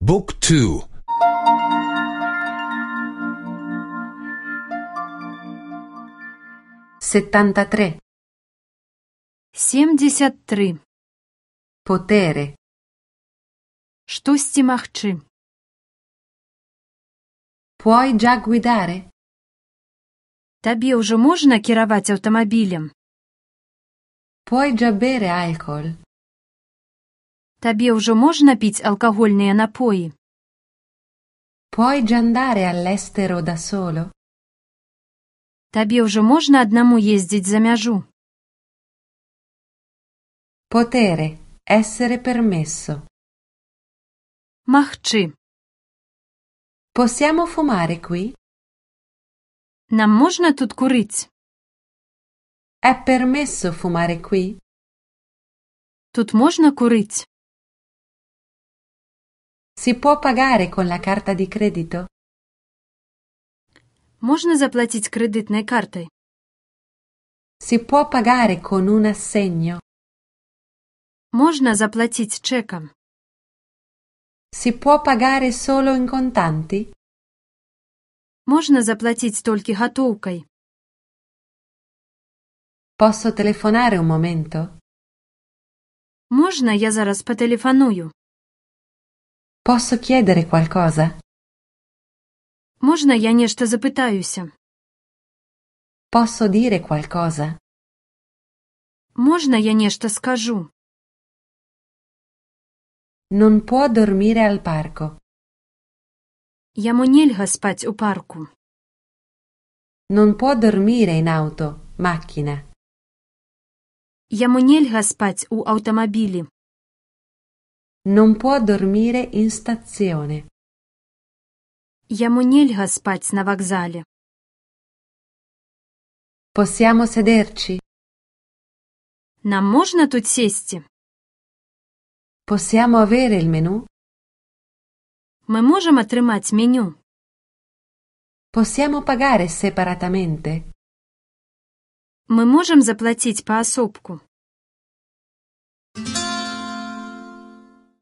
Book 2. 73. 73. Potere. Штосьці магчы. Puoi già guidare? Табе ўжо можна кіраваць аўтамабілем? Puoi già bere alcol? Табе ўжо можна піць алкагольныя напоі? Puoi già andare all'estero da solo? Табе ўжо можна аднаму ездзіць за мяжу? Potere. Essere permesso. Магчы. Possiamo fumare qui? Нам можна тут курыць? È permesso fumare qui? Тут можна курыць? Si può pagare con la carta di credito? Можна заплаціць крэдытнай картай? Si può pagare con un assegno? Можна заплаціць чэкам? Si può pagare solo in contanti? Можна заплаціць толькі гатоўкай? Posso telefonare un momento? Можна я зараз патэлефаную? Posso chiedere qualcosa? Можна я нешта запытаюся? Posso dire qualcosa? Можна я нешта скажу? Non può dormire al parco. Яму нельга спаць у парку. Non può dormire in auto, macchina. Яму нельга спаць у аўтамабілі. Non può dormire in stazione. Яму нельга спаць на вакзале. Possiamo sederci? Нам можна тут сесці? Possiamo avere il menù? Мы можам атрымаць меню? Possiamo pagare separatamente? Мы можам заплаціць паасобку?